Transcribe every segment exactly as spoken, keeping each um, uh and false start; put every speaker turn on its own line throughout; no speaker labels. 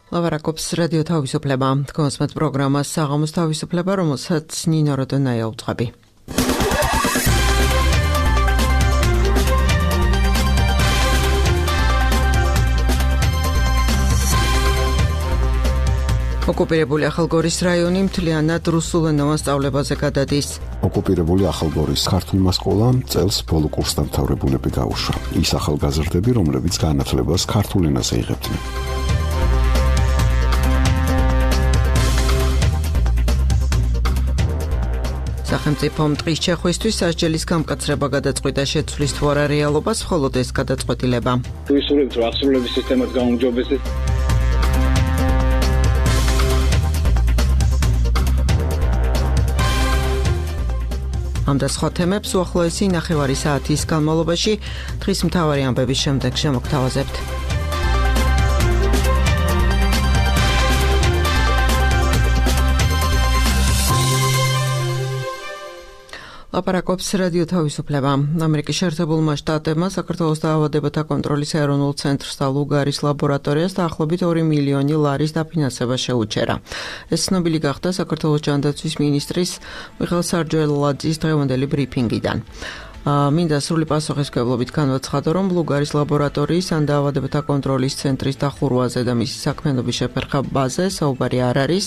ლავარაკობს რადიო თავისუფლება. თქვენს პროგრამას საღამოს თავისუფლება, რომელსაც ნინო როდონაია უძღვები. ოკუპირებული ახალგორის რაიონი მთლიანად რუსულენოვან სწავლებაზე გადადის.
ოკუპირებული ახალგორის ქართულმა სკოლამ წელს ბოლო კურსდამთავრებულები გაუშვა. ის ახალგაზრდები, რომლებიც განათლებას ქართულ ენაზე იღებდნენ.
სახელმწიფომ ტყის ჩახვისთვის სასჯელის გამკაცრება გადაწყვიტა შეცვლის თუ არა რეალობას, მხოლოდ ეს გადაწყვეტილება.
თუ ისურვებთ, რომ აღსრულების სისტემაც გაუმჯობესდეს.
ამ და სხვა თემებს უახლოესი ნახევარი საათის განმავლობაში დღის მთავარი ამბების შემდეგ შემოგთავაზებთ. ლაპარაკობს რადიო თავისუფლება. ამერიკის შეერთებულმა შტატებმა საქართველოს დაავადებათა კონტროლის ეროვნულ ცენტრს და ლუგარის ლაბორატორიას დაახლოებით ორი მილიონი ლარის დაფინანსება შეუჩერა. ეს ცნობილი გახდა საქართველოს ჯანდაცვის მინისტრის მიხეილ სარჯელაძის დღევანდელი ბრიფინგიდან. მინდა სრული პასუხისმგებლობით განვაცხადო, რომ ლუგარის ლაბორატორიის ან დაავადებათა კონტროლის ცენტრის დახურვაზე და მისი საქმიანობის შეფერხებაზე საუბარი არ არის.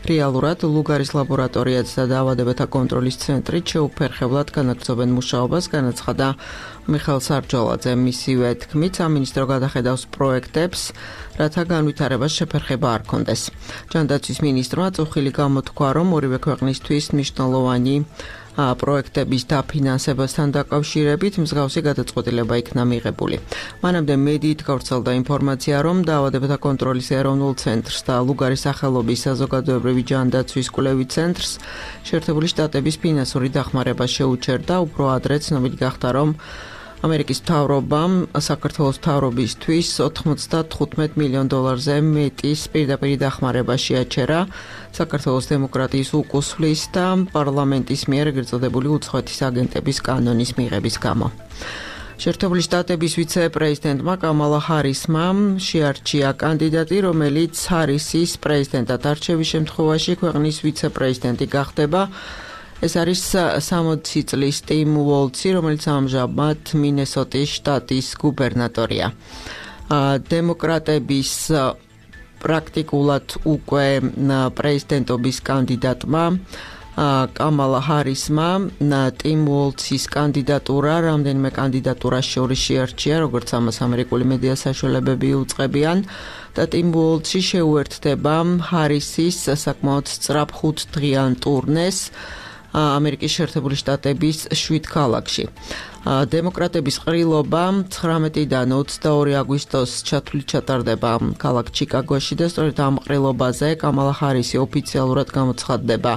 რეალურად ლუგარის ლაბორატორიაც და დაავადებათა კონტროლის ცენტრი შეუფერხებლად განაგრძობენ მუშაობას, განაცხადა მიხეილ სარჯელაძე. მისივე თქმით, სამინისტრო გადახედავს პროექტებს, რათა განვითარებას შეფერხება არ კონდეს. ჯანდაცვის მინისტრმა წუხილი გამოთქვა, რომ ორივე ქვეყნისთვის მნიშვნელოვანი პროექტების დაფინანსებასთან დაკავშირებით მსგავსი გადაწყვეტილება იქნა მიღებული. მანამდე მედიით გავრცელდა ინფორმაცია, რომ დაავადებათა კონტროლის ეროვნულ ცენტრს და ლუგარის სახელობის საზოგადოებრივი ჯანდაცვის კვლევით ცენტრს შეერთებული შტატების ფინანსური დახმარება შეუჩერდა. უფრო ადრე ცნობილი გახდა, რომ ამერიკის მთავრობამ საქართველოს მთავრობისთვის ოთხმოცდათხუთმეტ მილიონ დოლარზე მეტის პირდაპირ დახმარება შეაჩერა საქართველოს დემოკრატიის უკუსვლის და პარლამენტის მიერ ეგრეთ წოდებული უცხოეთის აგენტების კანონის მიღების გამო. შეერთებული შტატების ვიცე-პრეზიდენტმა კამალა ჰარისმა შეარჩია კანდიდატი, რომელიც ჰარისის პრეზიდენტად არჩევის შემთხვევაში ქვეყნის ვიცე-პრეზიდენტი გახდება. ეს არის სამოცი წლის ტიმ უოლცი, რომელიც ამჟამად მინესოტის შტატის გუბერნატორია. დემოკრატების პრაქტიკულად უკვე პრეზიდენტობის კანდიდატმა კამალა ჰარისმა ტიმ უოლცის კანდიდატურა რამდენიმე კანდიდატურას შორის შეარჩია, როგორც ამას ამერიკული მედია საშუალებები უწყებიან და ტიმ უოლცი შეუერთდება ჰარისის საკმაოდ სწრაფ ხუთდღიან ტურნეს ამერიკის შეერთებული შტატების შვიდ ქალაქში. დემოკრატების ყრილობა ცხრამეტიდან ოცდაორი აგვისტოს ჩათვლით ჩატარდება ქალაქ ჩიკაგოში და სწორედ ამ ყრილობაზე კამალა ჰარისი ოფიციალურად გამოცხადდება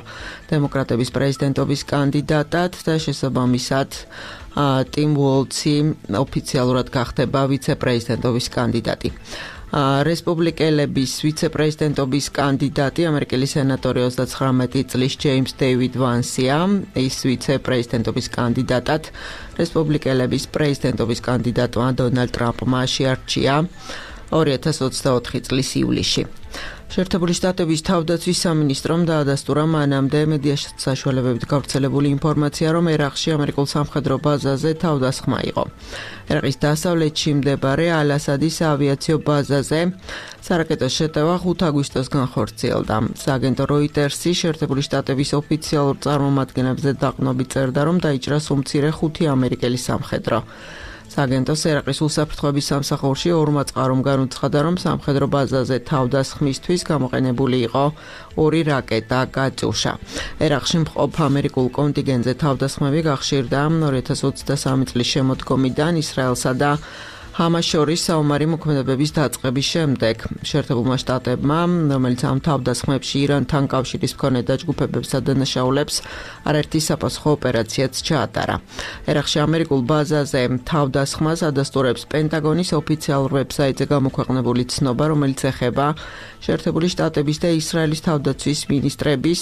დემოკრატების პრეზიდენტობის კანდიდატად და შესაბამისად ტიმ უოლცი ოფიციალურად გახდება ვიცე-პრეზიდენტობის კანდიდატი. რესპუბლიკელების ვიცე-პრეზიდენტობის კანდიდატი ამერიკელი სენატორი ოცდაცხრამეტი წლის ჯეიმს დეივიდ ვანსია. ის ვიცე-პრეზიდენტობის კანდიდატად რესპუბლიკელების პრეზიდენტობის კანდიდატმა დონალდ ტრამპმა შეარჩია ორი ათას ოცდაოთხი წლის ივლისში. შეერთებული შტატების თავდაცვის სამინისტრომ დაადასტურა მანამდე მედია საშუალებებით გავრცელებული ინფორმაცია, რომ ერაყში ამერიკულ სამხედრო ბაზაზე თავდასხმა იყო. ერაყის დასავლეთში მდებარე ალ-ასადის ავიაციო ბაზაზე სარაკეტო შეტევა ხუთ აგვისტოს განხორციელდა. სააგენტო როიტერსი შეერთებული შტატების ოფიციალურ წარმომადგენლებზე დაყრდნობით წერდა, რომ დაიჭრა უმცირე ხუთი ამერიკელი სამხედრო. სააგენტოს ერაყის უსაფრთხოების სამსახურში ორმა წყარომ განუცხადა, რომ სამხედრო ბაზაზე თავდასხმისთვის გამოყენებული იყო ორი რაკეტა კატიუშა. ერაყში მყოფ ამერიკულ კონტინგენტზე თავდასხმები გახშირდა ორი ათას ოცდასამი წლის შემოდგომიდან ისრაელსა და ჰამას შორის საომარი მოქმედებების დაწყების შემდეგ. შეერთებულმა შტატებმა, რომელიც ამ თავდასხმებში ირანთან კავშირის მქონე დაჯგუფებებსა და დანაშაულებს არაერთი საფასუხო ოპერაციაც ჩაატარა. ერაყში ამერიკულ ბაზაზე თავდასხმას ადასტურებს პენტაგონის ოფიციალურ ვებსაიტზე გამოქვეყნებული ცნობა, რომელიც ეხება შეერთებული შტატების და ისრაელის თავდაცვის მინისტრების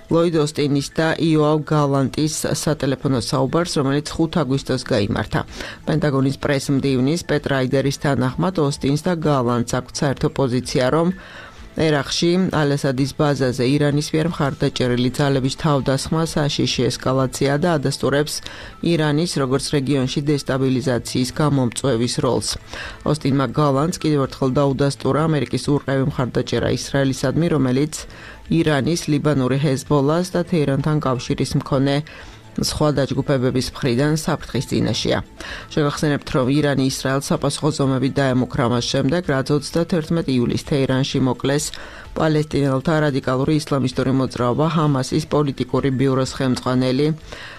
ლოიდ ოსტინის და იოავ გალანტის სატელეფონო საუბარს, რომელიც ხუთ აგვისტოს გაიმართა. პენტაგონის პრეს-მდივნის პეტ რაიდერის თანახმად ოსტინს და გალანტს აქვთ საერთო პოზიცია, რომ ერაყში ალ-ასადის ბაზაზე ირანის მიერ მხარდაჭერილი ძალების თავდასხმა საშიში ესკალაცია და ადასტურებს ირანის როგორც რეგიონში დესტაბილიზაციის გამომწვევის როლს. ოსტინმა გალანტს კიდევ ერთხელ დაუდასტურა ამერიკის ურყევი მხარდაჭერა ისრაელისადმი, რომელიც ირანის, ლიბანური ჰეზბოლას და თეირანთან კავშირის მქონე სხვა დაჯგუფებების მხრიდან საფრთხის წინაშეა. შეგახსენებთ, რომ ირანი ისრაელს საპასუხო ზომებით დაემუქრა მას შემდეგ, რაც ოცდათერთმეტი ივლისს თეირანში მოკლეს პალესტინელთა რადიკალური ისლამისტური მოძრაობა ჰამასის პოლიტიკური ბიუროს ხელმძღვანელი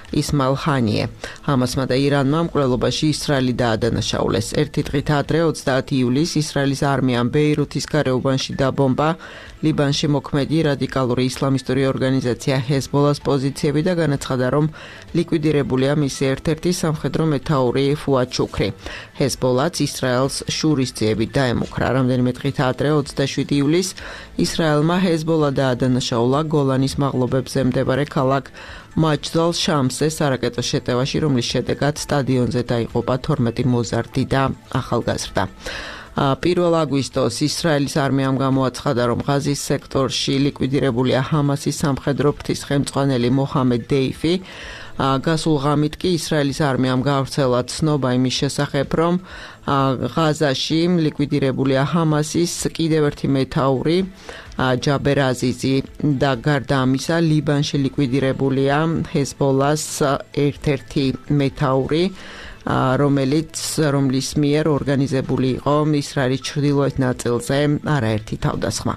ისმაილ ჰანიე. ჰამასმა და ირანმა მკვლელობაში ისრაელი დაადანაშაულეს. ერთი დღით ადრე ოცდაათი ივლისს ისრაელის არმიამ ბეირუთის გარეუბანში დაბომბა ლიბანში მოქმედი რადიკალური ისლამისტური ორგანიზაცია ჰეზბოლას პოზიციები და განაცხადა, რომ ლიკვიდირებულია მისი ერთ-ერთი სამხედრო მეთაური ფუად შუქრი. ჰეზბოლაც ისრაელს შურისძიებით დაემუქრა. რამდენიმე დღით ადრე ოცდაშვიდი ივლისს ისრაელმა ჰეზბოლა დაადანაშაულა გოლანის მაღლობებზე მდებარე ქალაქ მაჯდალ შამსზე სარაკეტო შეტევაში, რომლის შედეგად სტადიონზე დაიღუპა თორმეტი მოზარდი და ახალგაზრდა. პირველ აგვისტოს ისრაელის არმიამ გამოაცხადა, რომ ღაზის სექტორში ლიკვიდირებულია ჰამასის სამხედრო ფრთის ხელმძღვანელი მოჰამედ დეიფი. გასულ ღამით კი ისრაელის არმიამ გაავრცელა ცნობა იმის შესახებ, რომ ღაზაში ლიკვიდირებულია ჰამასის კიდევ ერთი მეთაური ჯაბერ აზიზი და გარდა ამისა ლიბანში ლიკვიდირებულია ჰეზბოლას ერთ-ერთი მეთაური, რომელიც რომლის მიერ ორგანიზებული იყო ისრაელის ჩრდილოეთ ნაწილზე არაერთი თავდასხმა.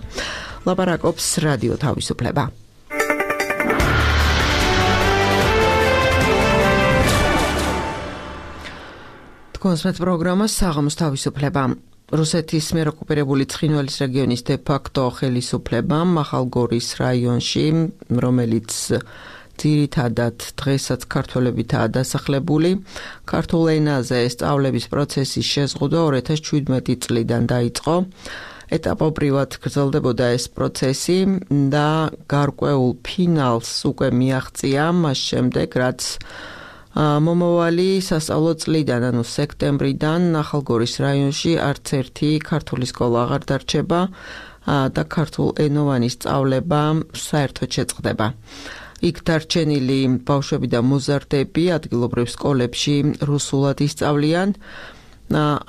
ლაპარაკობს რადიო თავისუფლება. კონსმეთ პროგრამა საღამოს თავისუფლება. რუსეთის მიერ ოკუპირებული ცხინვალის რეგიონის დე-ფაქტო ხელისუფლებამ ახალგორის რაიონში, რომელიც ძირითადად დღესაც ქართველებითაა დასახლებული, ქართულ ენაზე სწავლების პროცესის შეზღუდვა ორი ათას შვიდმეტი წლიდან დაიწყო. ეტაპობრივად გრძელდებოდა ეს პროცესი და გარკვეულ ფინალს უკვე მიაღწია მას შემდეგ, რაც მომავალი სასწავლო წლიდან, ანუ სექტემბრიდან ახალგორის რაიონში არც ერთი ქართული სკოლა აღარ დარჩება და ქართულ ენოვანი სწავლება საერთოდ შეწყდება. იქ დარჩენილი ბავშვები და მოზარდები ადგილობრივ სკოლებში რუსულად ისწავლიან.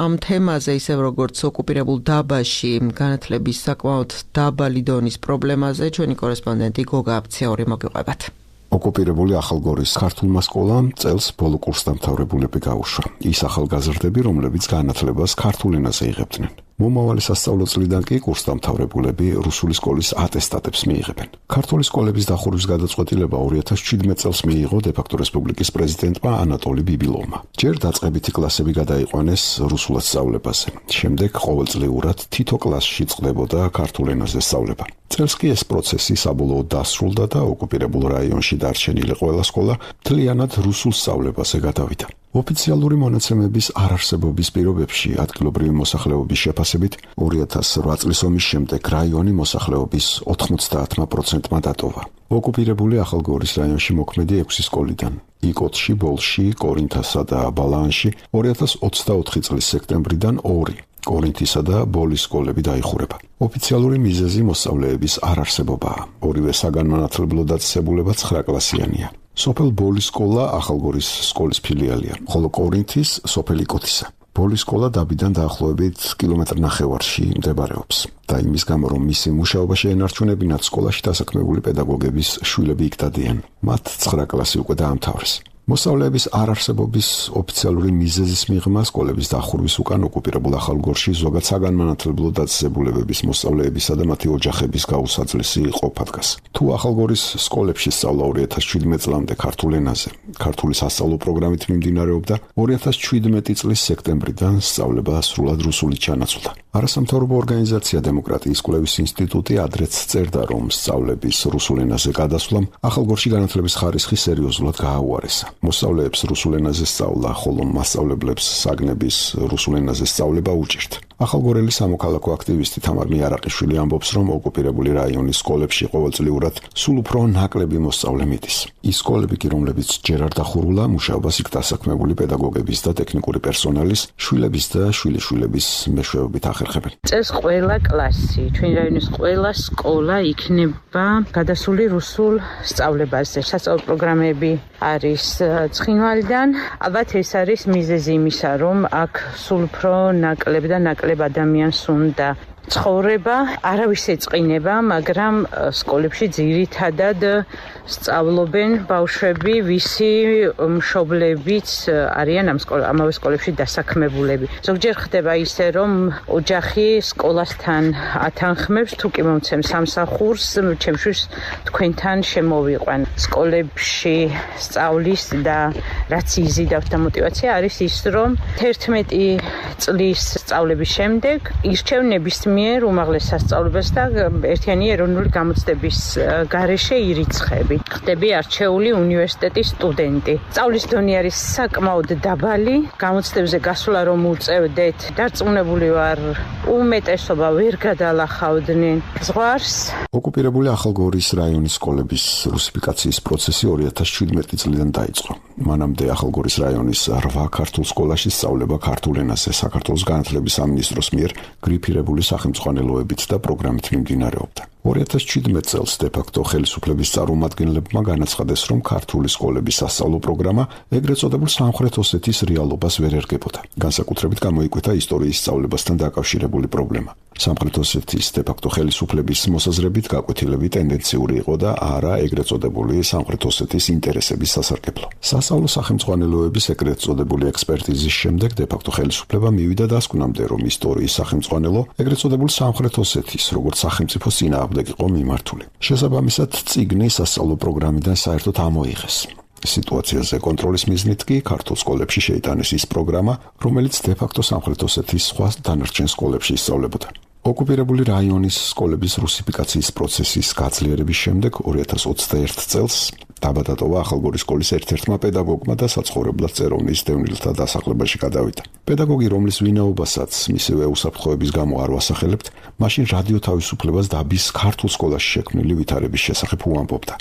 ამ თემაზე, ისევ როგორც ოკუპირებულ დაბაში განათლების საკმაოდ დაბალი დონის პრობლემაზე, ჩვენი კორესპონდენტი გოგა აფციური მოგიყვებათ.
ოკუპირებული ახალგორის ქართულმა სკოლამ წელს ბოლო კურსდამთავრებულები გაუშვა. ის ახალგაზრდები, რომლებიც განათლებას ქართულ ენაზე იღებდნენ. მომავალი სასწავლო წლიდან კი კურსდამთავრებულები რუსული სკოლის ატესტატებს მიიღებენ. ქართული სკოლების დახურვის გადაწყვეტილება ორი ათას შვიდმეტ წელს მიიღო დე-ფაქტო რესპუბლიკის პრეზიდენტმა ანატოლი ბიბილოვმა. ჯერ დაწყებითი კლასები გადაიყვანეს რუსულად სწავლებაზე. შემდეგ ყოველწლიურად თითო კლასში წყდებოდა ქართულ ენაზე სწავლება. წელს კი ეს პროცესი საბოლოოდ დასრულდა და ოკუპირებულ რაიონში დარჩენილი ყველა სკოლა მთლიანად რუსულ სწავლებაზე გადავიდა. ოფიციალური მონაცემების არარსებობის პირობებში ადგილობრივი მოსახლეობის შეფასებით ორი ათას ოთხ წლის ომის შემდეგ რაიონი მოსახლეობის ოთხმოცდაათმა პროცენტმა დატოვა. ოკუპირებული ახალგორის რაიონში მოქმედი ექვსი სკოლიდან იკოტში, ბოლში, კორინთასა და ბალაანში ორი ათას ოცდაოთხი წლის სექტემბრიდან ორი კორინთისა და ბოლის სკოლები დაიხურება. ოფიციალური მიზეზი მოსწავლეების არარსებობაა. ორივე საგანმანათლებლო დაწესებულება ცხრა კლასიანია. სოფელ ბოლის სკოლა ახალგორის სკოლის ფილიალია, ხოლო კორინთის სოფელ იკოტისა. ბოლის სკოლა დაბიდან დაახლოებით კილომეტრ ნახევარში მდებარეობს და იმის გამო, რომ მისი მუშაობა შეენარჩუნებინათ, სკოლაში დასაქმებული პედაგოგების შვილები იქ დადიან. მათ ცხრა კლასი უკვე დაამთავრეს. მოსწავლეების არარსებობის ოფიციალური მიზეზის მიღმა სკოლების დახურვის უკან ოკუპირებულ ახალგორში ზოგად საგანმანათლებლო დაწესებულებების მოსწავლეებისა და მათი ოჯახების გაუსაძლისი ყოფა დგას. თუ ახალგორის სკოლებში სწავლა ორი ათას შვიდმეტ წლამდე ქართულ ენაზე, ქართული სასწავლო პროგრამით მიმდინარეობდა, ორი ათას შვიდმეტი წლის სექტემბრიდან სწავლება სრულად რუსულით ჩანაცვლა. არასამთავრობო ორგანიზაცია დემოკრატიის კვლევის ინსტიტუტი ადრეც წერდა, რომ სწავლების რუსულ ენაზე გადასვლამ ახალგორში განათლების ხარისხი სერიოზულად გააუარესა. მოსწავლეებს რუსულ ენაზე სწავლა, ხოლო მასწავლებლებს საგნების რუსულ ენაზე სწავლება უჭირთ. ახალგორელი სამოქალაქო აქტივისტი თამარ მიარაყიშვილი ამბობს, რომ ოკუპირებული რაიონის სკოლებში ყოველწლიურად სულ უფრო ნაკლები მოსწავლე მიდის. ის სკოლები კი, რომლებიც ჯერ არ დახურულა, მუშაობას იქ დასაქმებული პედაგოგების და ტექნიკური პერსონალის, შვილების და შვილიშვილების მეშვეობით ახერხებენ.
წელს ყველა კლასი, ჩვენი რაიონის ყველა სკოლა იქნება გადასული რუსულ სწავლებაზე. სასწავლო პროგრამები არის ცხინვალიდან. ალბათ ეს არის მიზეზი იმისა, რომ აქ სულ უფრო ნაკლებ და ნაკლებ ადამიანს უნდა ცხოვრება, არავის ეწყინება, მაგრამ სკოლებში ძირითადად სწავლობენ ბავშვები, ვისი მშობლებიც არიან ამ სკოლა, ამავე სკოლებში დასაქმებულები. ზოგჯერ ხდება ისე, რომ ოჯახი სკოლასთან ათანხმებს, თუ კი მომცემ სამსახურს, ჩემთვის თქვენთან შემოვიყვან. სკოლებში სწავლის და რაც იზიდავთ და мотиваცია არის ის, რომ თერთმეტი წლის სწავლების შემდეგ ირჩევ ნებისმიერ უმაღლეს სასწავლებლებს და ერთიანი ეროვნული გამოცდების გარეშე ირიცხები. ხდები არჩეული უნივერსიტეტის სტუდენტი. სწავლის დონე არის საკმაოდ დაბალი, გამოცდებზე გასვლა რომ უწევდეთ, დარწმუნებული ვარ, უმეტესობა ვერ გადალახავდნენ ზღვარს.
ოკუპირებული ახალგორის რაიონის სკოლების რუსიფიკაციის პროცესი ორი ათას შვიდმეტი წლიდან დაიწყო. მანამდე ახალგორის რაიონის რვა ქართულ სკოლაში სწავლება ქართულ ენაზე საქართველოს განათლების სამინისტროს მიერ გრიფირებული სახელმძღვანელოებით და პროგრამით მიმდინარეობდა. ორი ათას შვიდმეტ წელს დე-ფაქტო ხელისუფლების წარმომადგენლებმა განაცხადეს, რომ ქართული სკოლების სასწავლო პროგრამა ეგრეთ წოდებულ სამხრეთ ოსეთის რეალობას ვერ ერგებოდა. განსაკუთრებით გამოიკვეთა ისტორიის სწავლებასთან დაკავშირებული პრობლემა. სამხრეთ ოსეთის დე-ფაქტო ხელისუფლების მოსაზრებით გაკვეთილები ტენდენციური იყო და არა ეგრეთ წოდებული სამხრეთ ოსეთის ინტერესების სასარგებლო. სასწავლო სახელმძღვანელოების ეგრეთ წოდებული ექსპერტიზის შემდეგ დე-ფაქტო ხელისუფლება მივიდა დასკვნამდე, რომ ისტორიის სახელმძღვანელო ეგრეთ წოდებულ სამხრეთ ოსეთის როგორც სახელმწიფოს წინააღმდეგ იყო მიმართული. შესაბამისად, წიგნი სასწავლო პროგრამიდან საერთოდ ამოიღეს. სიტუაციაზე კონტროლის მიზნით კი ქართულ სკოლებში შეიტანეს ის პროგრამა, რომელიც დე-ფაქტო სამხრეთ ოსეთის სხვა დანარჩენ სკოლებში ისწავლებოდა. ოკუპირებული რაიონის სკოლების რუსიფიკაციის პროცესის გაძლიერების შემდეგ ორი ათას ოცდაერთ წელს დაბადატოვა ახალგორის სკოლის ერთ-ერთმა პედაგოგმა და საცხოვრებლად წეროვნის დევნილთა დასახლებაში გადავიდა. პედაგოგი, რომლის ვინაობასაც მისივე უსაფრთხოების გამო არ ვასახელებთ, მაშინ რადიო თავისუფლებას დაბის ქართულ სკოლაში შექმნილი ვითარების შესახებ უამბობდა.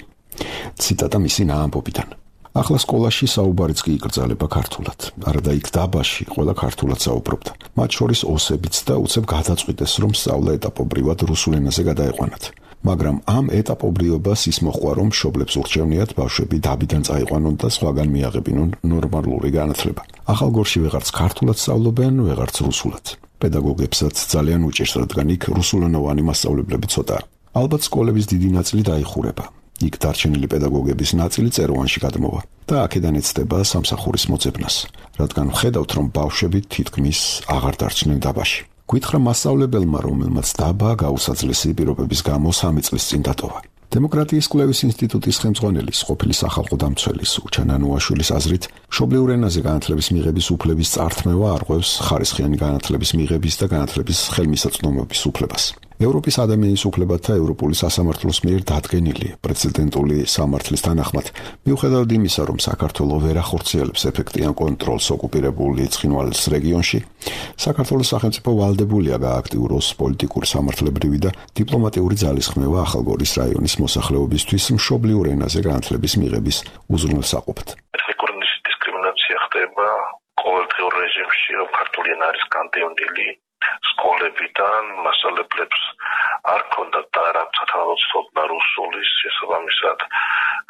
ციტატა მისი ნაამბობიდან. ახლა სკოლაში საუბარიც კი იკრძალება ქართულად. არადა იქ დაბაში ყველა ქართულად საუბრობდა. მათ შორის ოსებიც და უცებ გადაწყვიტეს, რომ სწავლა ეტაპობრივად რუსულ ენაზე გადაეყვანათ. მაგრამ ამ ეტაპობრიობას ის მოყვა, რომ მშობლებს ურჩევნიათ ბავშვები დაბიდან წაიყვანონ და სხვაგან მიაღებინონ ნორმალური განათლება. ახალგორში ვეღარც ქართულად სწავლობენ, ვეღარც რუსულად. პედაგოგებსაც ძალიან უჭირს, რადგან იქ რუსულენოვანი მასწავლებლები ცოტაა. ალბათ სკოლების დიდი ნაწილი დაიხურება. იქ დარჩენილი პედაგოგების ნაწილი წეროვანში გადმოვა და აქედან ეცდება სამსახურის მოძებნას, რადგან ვხედავთ, რომ ბავშვები თითქმის აღარ დარჩნენ დაბაში. გითხრა მასწავლებელმა, რომელმაც დაბა გაუსაძლესი პირობების გამო სამი წლის წინ დატოვა. დემოკრატიის კვლევის ინსტიტუტის ხელმძღვანელის, ყოფილი სახალხო დამცველის უჩან ანუაშვილის აზრით, მშობლიურ ენაზე განათლების მიღების უფლების წართმევა არღვევს ხარისხიანი განათლების მიღების და განათლების ხელმისაწვდომობის უფლებას. ევროპის ადამიანის უფლებათა ევროპული სასამართლოს მიერ დადგენილი პრეცედენტული სამართლის თანახმად, მიუხედავად იმისა, რომ საქართველო ვერ ახორციელებს ეფექტიან კონტროლს ოკუპირებული ცხინვალის რეგიონში, საქართველოს სახელმწიფო ვალდებულია გააქტიუროს პოლიტიკური სამართლებრივი და დიპლომატიური ძალისხმევა ახალგორის რაიონის მოსახლეობისთვის მშობლიურ ენაზე განათლების მიღების უზრუნველსაყოფად.
ეთნიკური დისკრიმინაცია ხდება ყოველდღიურ რეჟიმში, რომ ქართული ენა არის განდევნილი სკოლებიდან, მასწავლებლებს არ ქონდათ და არ აქვთ თავისუფლება რუსულის, შესაბამისად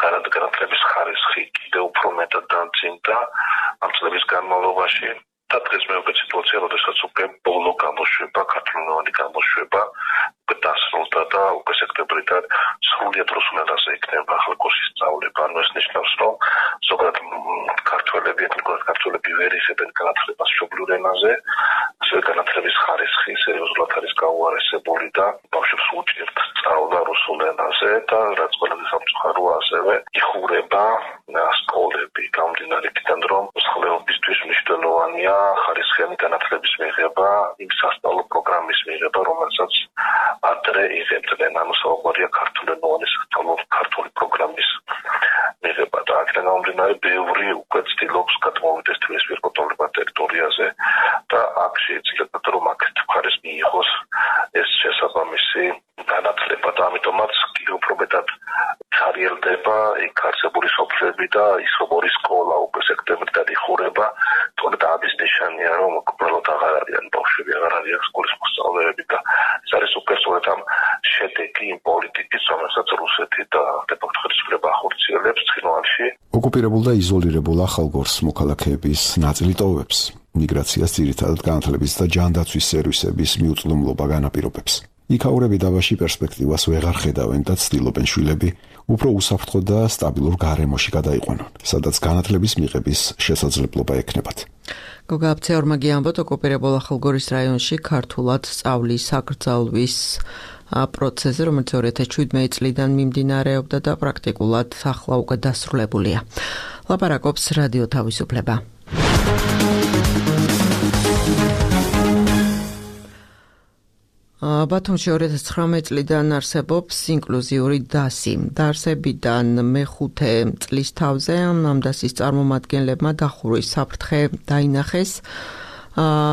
განათლების ხარისხი კიდევ უფრო მეტად დამძიმდა ამ წლების განმავლობაში. და დღეს მეუღე სიტუაცია, როდესაც უკვე ბოლო გამოშვება, ქართულენოვანი გამოშვება უკვე დასრულდა და უკვე სექტემბრიდან სრულიად რუსულ ენაზე იქნება ახალგორში სწავლება. ანუ ეს ნიშნავს, რომ ზოგადად ქართველები, ეთნიკურად ქართველები ვერ იღებენ განათლებას მშობლიურ ენაზე, ასევე განათლების ხარისხი სერიოზულად არის გაუარესებული და ბავშვებს უჭირთ სწავლა რუსულ ენაზე და რაც ყველაზე სამწუხაროა, ასევე იხურება სკოლები გამომდინარე იქიდან, რომ მოსახლეობისთვის მნიშვნელოვანია ხარისხიანი განათლების მიღება, იმ სასწავლო პროგრამის მიღება, რომელსაც ადრე იღებდნენ, ანუ საუბარია ქართულენოვანი სასწავლო ქართული პროგრამის მიღება და აქედან გამომდინარე ბევრი უკვე ცდილობს გადმოვიდეს თბილისის კონტროლებად ტერიტორიაზე და აქ შეიძლება რომ აქეთ მხარეს მიიღოს ეს შესაბამისი განათლება და ამიტომაც კიდევ უფრო მეტად ჩარიელდება იქ არსებული სოფლები და ის როგორი სკოლა უკვე სექტემბრიდან იხურება, თორემ ამის ნიშანია რომ უბრალოდ აღარ არიან ბავშვები, აღარ არიან სკოლის მოსწავლეები და ეს არის უკვე სწორედ ამ შედეგი იმ პოლიტიკის, რომელსაც რუსეთი და დეპორტირება ახორციელებს ცხინვალში.
ოკუპირებულ და იზოლირებულ ახალგორს მოქალაქეების ნაწილი ტოვებს. მიგრაციას ძირითადად განათლების და ჯანდაცვის სერვისების მიუწვდომლობა განაპირობებს. იქაურები დავაში პერსპექტივას ვეღარ ხედავენ და ცდილობენ შვილები უფრო უსაფრთხო და სტაბილურ გარემოში გადაიყვანონ, სადაც განათლების მიღების შესაძლებლობა ექნებათ.
გოგა აბცეორმა გიამბოთ, ოკუპირებულ ახალგორის რაიონში ქართულად სწავლის აკრძალვის პროცესზე, რომელიც ორი ათას შვიდმეტი წლიდან მიმდინარეობდა და პრაქტიკულად ახლა უკვე დასრულებულია. ლაპარაკობს რადიო თავისუფლება. ბათუმში ორი ათას ცხრამეტი წლიდან არსებობს ინკლუზიური დასი. დაარსებიდან მეხუთე წლის თავზე ამ დასის წარმომადგენლებმა დახურვის საფრთხე დაინახეს.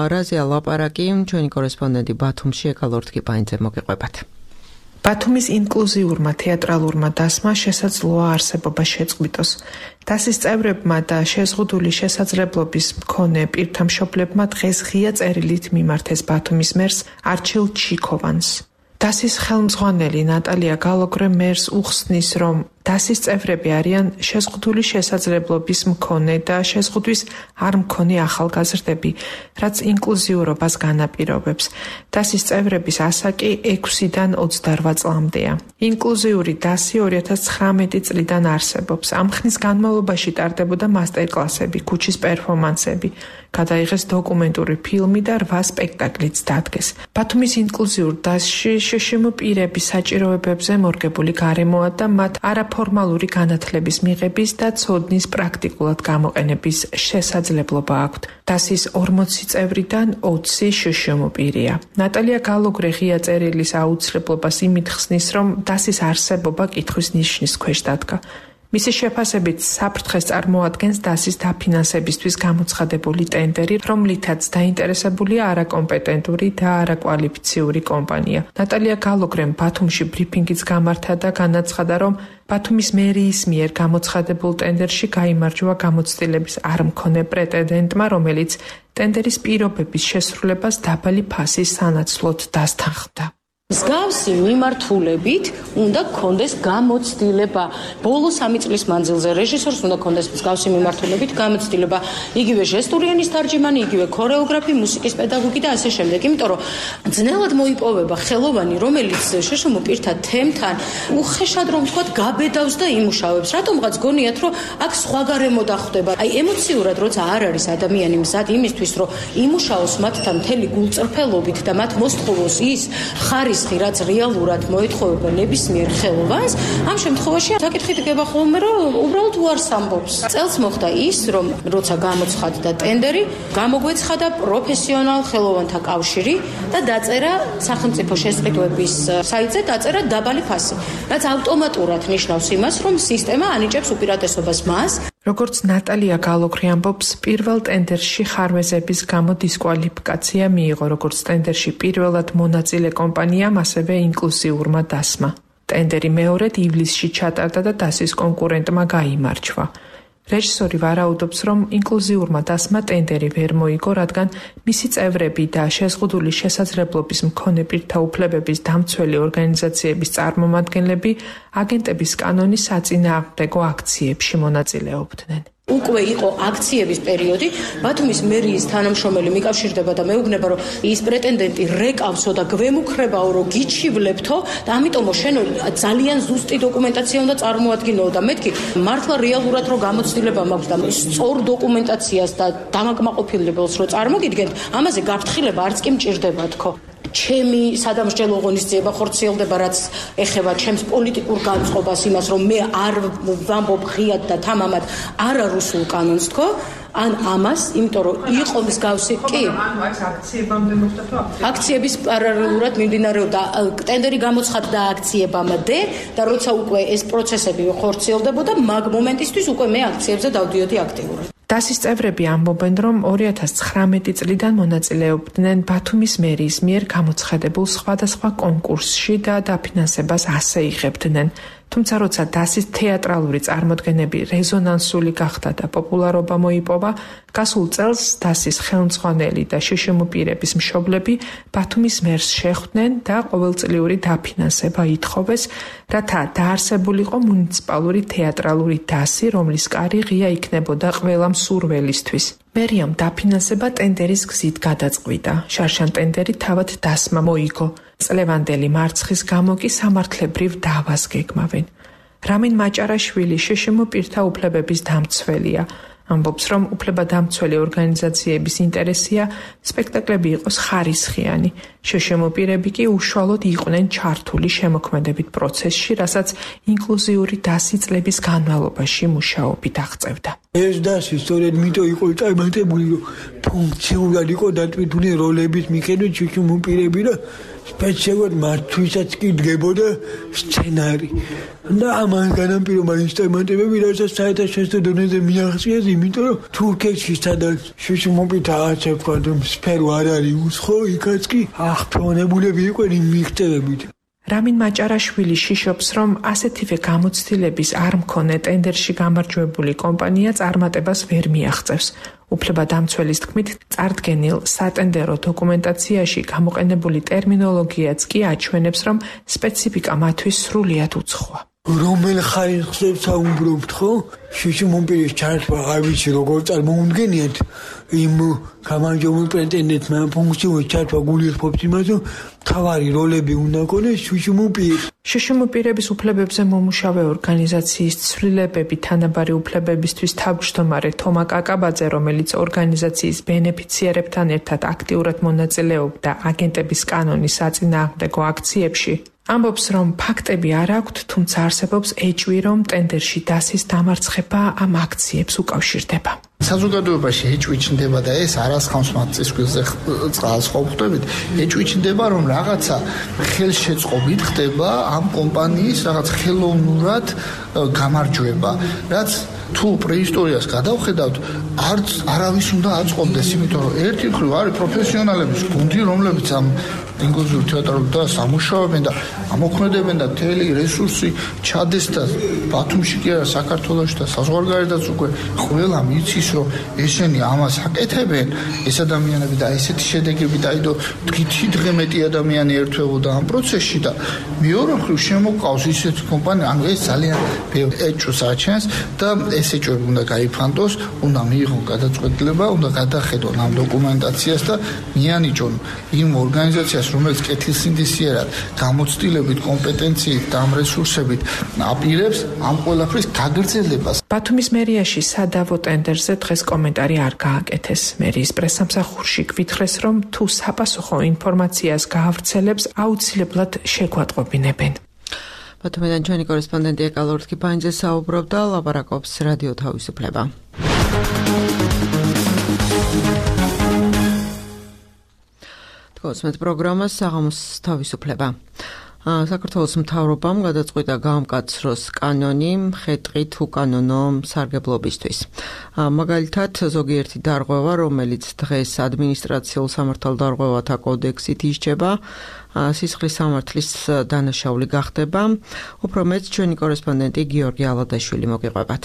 რაზეა ლაპარაკი, ჩვენი კორესპონდენტი ბათუმში ეკალორთ კიპაინძე მოგიყვებათ.
ბათუმის ინკლუზიურმა თეატრალურმა დასმა შესაძლოა არსებობა შეწყვიტოს. დასის წევრებმა და შეზღუდული შესაძლებლობის მქონე პირთა მშობლებმა დღეს ღია წერილით მიმართეს ბათუმის მერს არჩილ ჩიქოვანს. დასის ხელმძღვანელი ნატალია გალოგრე მერს უხსნის, რომ დასის წევრები არიან შეზღუდული შესაძლებლობის მქონე და შეზღუდვის არ მქონე ახალგაზრდები, რაც ინკლუზიურობას განაპირობებს. დასის წევრების ასაკი ექვსიდან ოცდარვა წლამდეა. ინკლუზიური დასი ორი ათას ცხრამეტი წლიდან არსებობს. ამ ხნის განმავლობაში ტარდებოდა მასტერკლასები, ქუჩის პერფორმანსები, გადაიღეს დოკუმენტური ფილმი და რვა სპექტაკლიც დადგეს. ბათუმის ინკლუზიურ დასში შშმ პირების საჭიროებებზე მორგებული გარემოა და მათ არაფორმალური განათლების მიღების და ცოდნის პრაქტიკულად გამოყენების შესაძლებლობა აქვთ. დასის ორმოცი წევრიდან ოცი შშმ პირია. ნატალია გალოგრე ღია წერილის აუცილებლობას იმით ხსნის, რომ დასის არსებობა კითხვის ნიშნის ქვეშ დადგა. მისი შეფასებით საფრთხეს წარმოადგენს დასის დაფინანსებისთვის გამოცხადებული ტენდერი, რომლითაც დაინტერესებულია არაკომპეტენტური და არაკვალიფიციური კომპანია. ნატალია გალოგრემ ბათუმში ბრიფინგიც გამართა და განაცხადა, რომ ბათუმის მერიის მიერ გამოცხადებულ ტენდერში გაიმარჯვა გამოცდილების არ მქონე პრეტენდენტმა, რომელიც ტენდერის პირობების შესრულებას დაბალი ფასის სანაცვლოდ დასთანხმდა.
მსგავსი მიმართულებით უნდა გქონდეს გამოცდილება. ბოლო სამი წლის მანძილზე რეჟისორს უნდა გქონდეს მსგავსი მიმართულებით გამოცდილება. იგივე ჟესტური ენის თარჯიმანი, იგივე ქორეოგრაფი, მუსიკის პედაგოგი და ასე შემდეგ. იმიტომ რომ ძნელად მოიპოვება ხელოვანი, რომელიც შშმ პირთა თემთან უხეშად რომ ვთქვათ, გაბედავს და იმუშავებს. რატომღაც გონიათ, რომ აქ სხვა გარემო დახვდება. აი ემოციურად როცა არ არის ადამიანი მზად იმისთვის, რომ იმუშაოს მათთან მთელი გულწრფელობით და მათ მოსთხოვოს ის ხარის რაც რეალურად მოეთხოვება ნებისმიერ ხელოვანს, ამ შემთხვევაში საკითხი დგება ხოლმე, რომ უბრალოდ უარს ამბობს. წელს მოხდა ის, რომ როცა გამოცხადდა ტენდერი, გამოგვეცხადა პროფესიონალ ხელოვანთა კავშირი და დაწერა სახელმწიფო შესყიდვების საიტზე დაწერა დაბალი ფასი, რაც ავტომატურად ნიშნავს იმას, რომ სისტემა ანიჭებს უპირატესობას მას.
როგორც ნატალია გალოგრე ამბობს, პირველ ტენდერში ხარვეზების გამო დისკვალიფიკაცია მიიღო, როგორც ტენდერში პირველად მონაწილე კომპანიამ, ასევე ინკლუზიურმა დასმა. ტენდერი მეორედ ივლისში ჩატარდა და დასის კონკურენტმა გაიმარჯვა. რეჟისორი ვარაუდობს, რომ ინკლუზიურმა დასმა ტენდერი ვერ მოიგო, რადგან მისი წევრები და შეზღუდული შესაძლებლობის მქონე პირთა უფლებების დამცველი ორგანიზაციების წარმომადგენლები აგენტების კანონის საწინააღმდეგო აქციებში მონაწილეობდნენ.
უკვე იყო აქციების პერიოდი, ბათუმის მერიის თანამშრომელი მიკავშირდება და მეუბნება, რომ ის პრეტენდენტი რეკავსო და გვემუქრებაო, რომ გიჩივლებთო და ამიტომო შენ ძალიან ზუსტი დოკუმენტაცია უნდა წარმოადგინო და მეთქი მართლა რეალურად რომ გამოცდილება მაქვს და სწორ დოკუმენტაციას და დამაკმაყოფილებელს რო წარმოგიდგენთ, ამაზე გაფრთხილება არც კი მჭირდება თქო. ჩემი სადამსჯელო ღონისძიება ხორციელდება, რაც ეხება ჩემს პოლიტიკურ განწყობას, იმას, რომ მე არ ვამბობ ღიად და თამამად არარუსულ კანონს თქო, ან ამას, იმიტომ რომ იყო მსგავსი კი.
ანუ ეს აქციებამდე მოხდა თუ
აქციების პარალელურად მიმდინარეობდა ტენდერი გამოცხადდა აქციებამდე და როცა უკვე ეს პროცესები ხორციელდებოდა, მაგ მომენტისთვის უკვე მე აქციებზე დავდიოდი აქტიურად.
დასის წევრები ამბობენ, რომ ორი ათას ცხრამეტი წლიდან მონაწილეობდნენ ბათუმის მერიის მიერ გამოცხადებულ სხვადასხვა კონკურსში და დაფინანსებას ასე იღებდნენ. თუმცა როცა დასის თეატრალური წარმოდგენები რეზონანსული გახდა და პოპულარობა მოიპოვა, გასულ წელს დასის ხელმძღვანელი და შშმ-პირების მშობლები ბათუმის მერს შეხვდნენ და ყოველწლიური დაფინანსება ითხოვეს, რათა დაარსებულიყო მუნიციპალური თეატრალური დასი, რომლის კარი ღია იქნებოდა ყველა მსურველისთვის. მერიამ დაფინანსება ტენდერის გზით გადაწყვიტა. შარშან ტენდერი თავად დასმა მოიგო. წლევანდელი მარცხის გამო კი სამართლებრივ დავას გეგმავენ. რამინ მაჭარაშვილი შშმ-პირთა უფლებების დამცველია. ამბობს, რომ უფლებადამცველი ორგანიზაციების ინტერესია სპექტაკლები იყოს ხარისხიანი. შშმ-პირები კი უშუალოდ იყვნენ ჩართული შემოქმედებით პროცესში, რასაც ინკლუზიური დასი წლების განმავლობაში მუშაობით აღწევდა.
ეს დასი სწორედ მითო იყო წარმატებული, რომ ფუნქციურად იყო დატვირთული როლების მიხედვით შშმ-პირები და სპეციალურად მათთვისაც კი დგებოდა სცენარი. და ამან განაპირობა ინსტრუმენტები, რასაც საერთაშორისო დონეზე მიაღწიეს, იმიტომ რომ თურქეთში სადაც შშმ-პირთა ასე ვთქვათ, სფერო არ არის უცხო, იქაც კი აღფრთოვანებულები იყვნენ იმ მიღწევებით. რამინ მაჭარაშვილი შიშობს, რომ ასეთივე გამოცდილების არ მქონე ტენდერში გამარჯვებული კომპანია წარმატებას ვერ მიაღწევს. უფლებადამცველის თქმით, წარდგენილ სატენდერო დოკუმენტაციაში გამოყენებული ტერმინოლოგიაც კი აჩვენებს, რომ სპეციფიკა მათთვის სრულიად უცხოა. რომელ ხარისხზე საუბრობთ, ხო? შშმ-პირის ჩართვა არ ვიცი როგორ წარმოუდგენიათ იმ გამარჯვებულ პრეტენდენტმა ფუნქციურ ჩართვა გულისხმობს იმას, რომ მთავარი როლები უნდა ქონდეს შშმ-პირს. შშმ-პირების უფლებებზე მომუშავე ორგანიზაციის ცვლილებები თანაბარი უფლებებისთვის თავმჯდომარე თომა კაკაბაძე, რომელიც ორგანიზაციის ბენეფიციარებთან ერთად აქტიურად მონაწილეობდა აგენტების კანონის საწინააღმდეგო აქციებში, ამბობს, რომ ფაქტები არ აქვთ, თუმცა არსებობს ეჭვი, რომ ტენდერში დასის დამარცხება ამ აქციებს უკავშირდება.
საზოგადოებაში ეჭვი ჩნდება და ეს არასხამს მათ წისქვილზე წყალს ყოფხდებით, ეჭვი ჩნდება, რომ რაღაცა ხელშეწყობით ხდება ამ კომპანიის რაღაც ხელოვნურად გამარჯვება, რაც თუ პრეისტორიას გადავხედავთ, არც არავის უნდა აწყობდეს, იმიტომ რომ ერთი მხრივ არის პროფესიონალების გუნდი, რომლებიც ამ ინკლუზიურ თეატრალურ დასს ამუშავებენ და ამოქმედებენ და მთელი რესურსი ჩადეს და ბათუმში კი არა, საქართველოში და საზღვარგარეთაც უკვე ყველა მიცის, რომ ესენი ამას აკეთებენ, ეს ადამიანები და ესეთი შედეგები დაიდო დღითი დღე მეტი ადამიანი ერთვებოდა ამ პროცესში და მეორე მხრივ შემოყავს ისეთი კომპანია, ანუ ეს ძალიან ბევრ ეჭვს აჩენს და ეს ეჭვები უნდა გაიფანტოს, უნდა მიიღონ გადაწყვეტილება, უნდა გადახედონ ამ დოკუმენტაციას და მიანიჭონ იმ ორგანიზაციას, რომელიც კეთილსინდისიერად, გამოცდილებით, კომპეტენციით და ამ რესურსებით აპირებს ამ ყველაფრის გაგრძელებას.
ბათუმის მერიაში სადავო ტენდერზე დღეს კომენტარი არ გააკეთეს. მერიის პრესსამსახურში გვითხრეს, რომ თუ საპასუხო ინფორმაციას გაავრცელებს, აუცილებლად შეგვატყობინებენ.
ბათუმიდან ჩვენი კორესპონდენტი ეკალორთ კიფანიძე საუბრობდა, ლაპარაკობს რადიო თავისუფლება. თქოსმეთ პროგრამას საღამოს თავისუფლება. საქართველოს მთავრობამ გადაწყვიტა გაამკაცროს კანონი მხედრით უკანონო სარგებლობისთვის. მაგალითად, ზოგიერთი დარღვევა, რომელიც დღეს ადმინისტრაციულ სამართალდარღვევათა კოდექსით ისჯება, სისხლის სამართლის დანაშაული გახდება. უფრო მეტ ჩვენი კორესპონდენტი გიორგი ალადაშვილი მოგიყვებათ.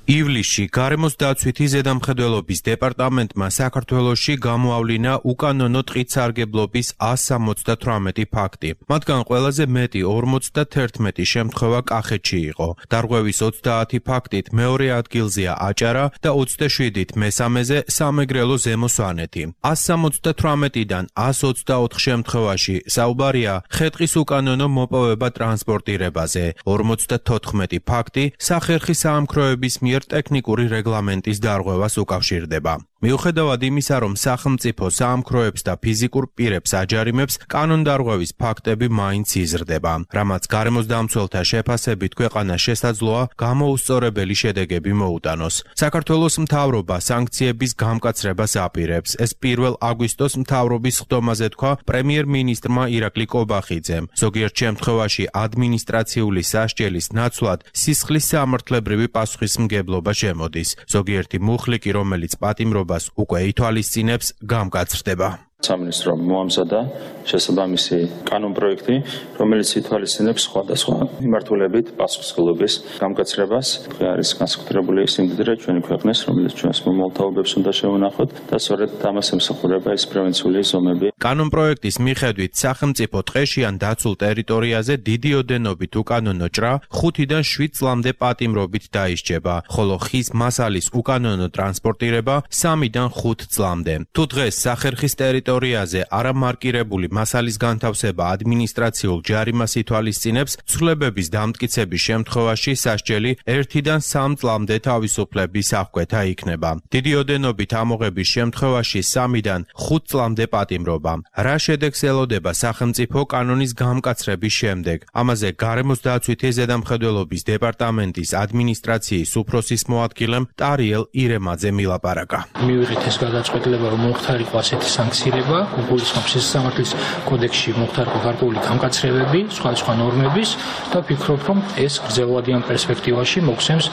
ივლისში გარემოს დაცვითი ზედამხედველობის დეპარტამენტმა საქართველოში გამოავლინა უკანონო ტყით სარგებლობის ას სამოცდათვრამეტი ფაქტი. მათგან ყველაზე მეტი ორმოცდათერთმეტი შემთხვევა კახეთში იყო. დარღვევის ოცდაათი ფაქტით მეორე ადგილზეა აჭარა და ოცდაშვიდით მესამეზე სამეგრელო ზემო სვანეთი. ას სამოცდათვრამეტიდან ას ოცდაოთხ შემთხვევაში საუბარია ხეტყის უკანონო მოპოვება ტრანსპორტირებაზე. ორმოცდათოთხმეტი ფაქტი სახერხი საამქროების მიერ ტექნიკური რეგლამენტის დარღვევას უკავშირდება. მიუხედავად იმისა, რომ სახელმწიფო საამქროებს და ფიზიკურ პირებს აჯარიმებს, კანონდარღვევის ფაქტები მაინც იზრდება, რამაც გარემოს დამცველთა შეფასებით ქვეყანა შესაძლოა გამოუსწორებელი შედეგები მოუტანოს. საქართველოს მთავრობა სანქციების გამკაცრებას აპირებს. ეს პირველ აგვისტოს მთავრობის ხდომაზე თქვა პრემიერ-მინისტრმა ირაკლი კობახიძემ. ზოგიერთ შემთხვევაში ადმინისტრაციული სასჯელის ნაცვლად სისხლის სამართლებრივი პასუხისმგებლობა შემოდის. ზოგიერთი მუხლი კი, რომელიც პატიმრობას უკვე ითვალისწინებს, გამკაცრდება.
სამინისტრო მოამზადა შესაბამისი კანონპროექტი, რომელიც ითვალისწინებს სხვადასხვა მიმართულებით პასუხისმგებლობის გამკაცრებას. არის განსაკუთრებული სიმდიდრე ჩვენი ქვეყნის, რომელიც ჩვენს მომალთაობებს უნდა შევანახოთ და სწორედ ამას ემსახურება ეს პრევენციული ზომები.
კანონპროექტის მიხედვით სახელმწიფო ტყეში ან დაცულ ტერიტორიაზე დიდი ოდენობით უკანონო ჭრა ხუთიდან შვიდ წლამდე პატიმრობით დაისჯება, ხოლო ხის მასალის უკანონო ტრანსპორტირება სამიდან ხუთ წლამდე. თუ დღეს სახერხის ტერიტორიაზე ტერიტორიაზე არამარკირებული მასალის განთავსება ადმინისტრაციულ ჯარიმას ითვალისწინებს, ცვლილებების დამტკიცების შემთხვევაში სასჯელი ერთიდან სამ წლამდე თავისუფლების აღკვეთა იქნება. დიდი ოდენობით ამოღების შემთხვევაში სამიდან ხუთ წლამდე პატიმრობა. რა შედეგს ელოდება სახელმწიფო კანონის გამკაცრების შემდეგ? ამაზე გარემოს დაცვითი ზედამხედველობის დეპარტამენტის ადმინისტრაციის უფროსის მოადგილემ ტარიელ ირემაძე მილაპარაკა.
მივიღეთ ეს გადაწყვეტილება, რომ მოხდარიყო ასეთი სანქციები გულისხმობს სისხლის კოდექსში მოხდარიყო გარკვეული გამკაცრებები, სხვადასხვა ნორმების და ვფიქრობ, რომ ეს გრძელვადიან პერსპექტივაში მოგცემს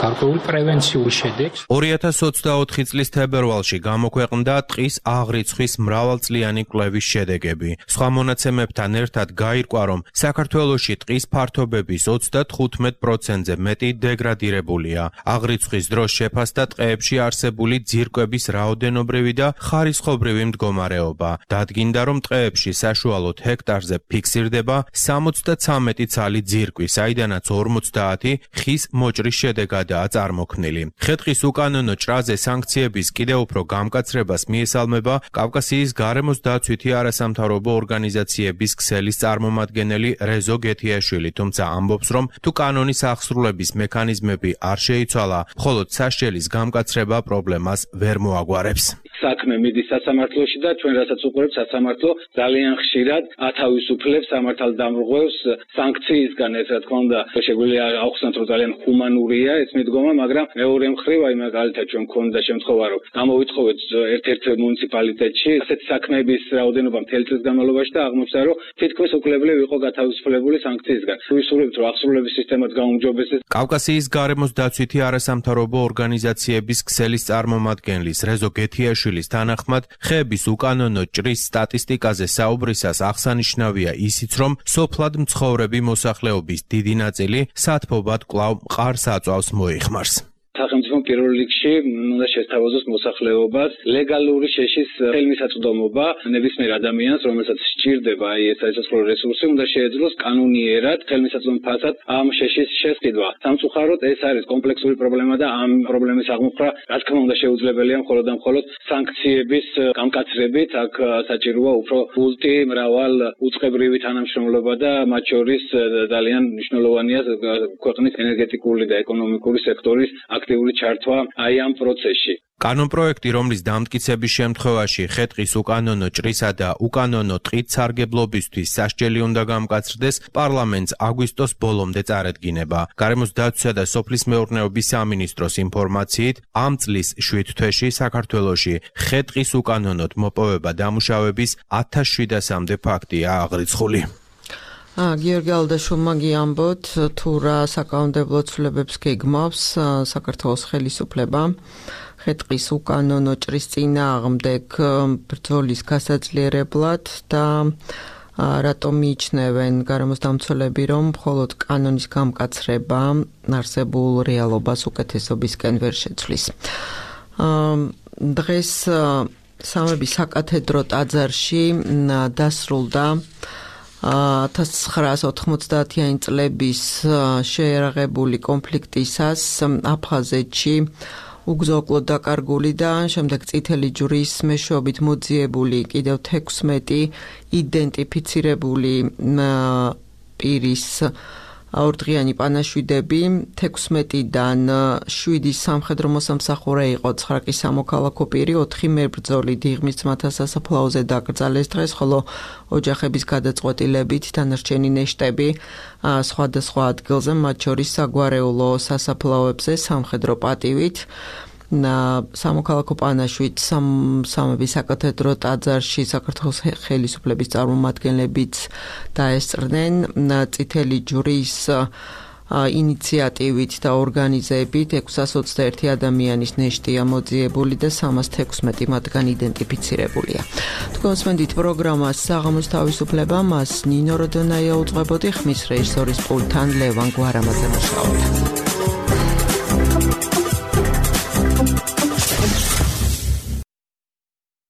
გარკვეულ პრევენციულ შედეგს.
ორი ათას ოცდაოთხი წლის თებერვალში გამოქვეყნდა ტყის აღრიცხვის მრავალწლიანი კვლევის შედეგები. სხვა მონაცემებთან ერთად გაირკვა, რომ საქართველოში ტყის ფართობების ოცდათხუთმეტ პროცენტზე მეტი დეგრადირებულია. აღრიცხვის დროს შეფასდა ტყეებში არსებული ძირკვების რაოდენობრივი და ხარისხობრივი მდგომარეობა. დადგინდა, რომ ტყეებში საშუალოდ ჰექტარზე ფიქსირდება სამოცდაცამეტი ცალი ძირკვი, საიდანაც ორმოცდაათი ხის მოჭრის შედეგადაა წარმოქმნილი. ხე-ტყის უკანონო ჭრაზე სანქციების კიდევ უფრო გამკაცრებას მიესალმება კავკასიის გარემოს დაცვითი არასამთავრობო ორგანიზაციების ქსელის წარმომადგენელი რეზო გეთიაშვილი, თუმცა ამბობს, რომ თუ კანონის აღსრულების მექანიზმები არ შეიცვალა, მხოლოდ სასჯელის გამკაცრება პრობლემას ვერ მოაგვარებს.
საქმე მიდის სასამართლოში და ჩვენ რასაც უყურებთ, სასამართლო ძალიან ხშირად ათავისუფლებს სამართალდამრღვევს სანქციისგან. ეს რა თქმა უნდა შეგვიძლია ავხსნათ, რომ ძალიან ჰუმანურია ეს მიდგომა, მაგრამ მეორე მხრივ აი მაგალითად ჩვენ მქონდა შემთხვევა, რომ გამოვიტხოვეთ ერთ-ერთ მუნიციპალიტეტში ასეთი საქმეების რაოდენობა მთელი წლის განმავლობაში და აღმოჩნდა, რომ თითქმის უკვლებლივ იყო გათავისუფლებული სანქციისგან. ვისურვებთ, რომ აღსრულების სისტემაც გაუმჯობესდეს.
კავკასიის გარემოს დაცვითი არასამთავრობო ორგანიზაციების ქსელის წარმომადგენლის რეზო გეთიაშვილის თანახმად, ხეების უკანონო ჭრის სტატისტიკაზე საუბრისას აღსანიშნავია ისიც, რომ სოფლად მცხოვრები მოსახლეობის დიდი ნაწილი სათბობად კვლავ მყარს აწვავს მოიხმარს.
სახელმწიფო პირველ რიგში უნდა შესთავაზოს მოსახლეობას ლეგალური შეშის ხელმისაწვდომობა ნებისმიერ ადამიანს, რომელსაც სჭირდება აი ეს საერთაშორისო რესურსი, უნდა შეეძლოს კანონიერად ხელმისაწვდომ ფასად ამ შეშის შესყიდვა. სამწუხაროდ ეს არის კომპლექსური პრობლემა და ამ პრობლემის აღმოფხვრა რა თქმა უნდა შეუძლებელია მხოლოდ და მხოლოდ სანქციების გამკაცრებით. აქ საჭიროა უფრო ულტი მრავალ უწყებრივი თანამშრომლობა და მათ შორის ძალიან მნიშვნელოვანია ქვეყნის ენერგეტიკული და ეკონომიკური სექტორის აქტიური ჩართვა აი ამ პროცესში.
კანონპროექტი, რომლის დამტკიცების შემთხვევაში ხე-ტყის უკანონო ჭრისა და უკანონო ტყით სარგებლობისთვის სასჯელი უნდა გამკაცრდეს, პარლამენტს აგვისტოს ბოლომდე წარედგინება. გარემოს დაცვისა და სოფლის მეურნეობის სამინისტროს ინფორმაციით, ამ წლის შვიდ თვეში საქართველოში ხე-ტყის უკანონოდ მოპოვება დამუშავების ათას შვიდასამდე ფაქტია აღრიცხული.
გიორგი ალდაშვილმა გიამბოთ, თუ რა საკანონმდებლო ცვლილებებს გეგმავს საქართველოს ხელისუფლება ხე-ტყის უკანონო ჭრის წინააღმდეგ ბრძოლის გასაძლიერებლად და რატომ მიიჩნევენ გარემოს დამცველები, რომ მხოლოდ კანონის გამკაცრება არსებულ რეალობას უკეთესობისკენ ვერ შეცვლის. დღეს სამების საკათედრო ტაძარში დასრულდა ათას ცხრაას ოთხმოცდაათიანი წლების შეერაღებული კონფლიქტისას აფხაზეთში უგზო-უკლოდ დაკარგული და შემდეგ წითელი ჯვრის მეშვეობით მოძიებული კიდევ თექვსმეტი იდენტიფიცირებული პირის ორდღიანი პანაშვიდები თექვსმეტიდან შვიდი სამხედრო მოსამსახურე იყო, ცხრა კი სამოქალაქო პირი, ოთხი მებრძოლი დიღმის ძმათა სასაფლაოზე დაკრძალეს დღეს, ხოლო ოჯახების გადაწყვეტილებით დანარჩენი ნეშტები სხვადასხვა ადგილზე, მათ შორის საგვარეულო სასაფლაოებზე სამხედრო პატივით. სამოქალაქო პანაშვიდს სამების საკათედრო ტაძარში საქართველოს ხელისუფლების წარმომადგენლებიც დაესწრნენ. წითელი ჯვრის ინიციატივით და ორგანიზებით ექვსას ოცდაერთი ადამიანის ნეშტია მოძიებული და სამას თექვსმეტი მათგან იდენტიფიცირებულია. თქვენ მოსმენთ პროგრამას საღამოს თავისუფლება, მას ნინო როდონაია უძღვებოდი, ხმის რეჟისორის პულტთან ლევან გვარამაძე მუშაობდა.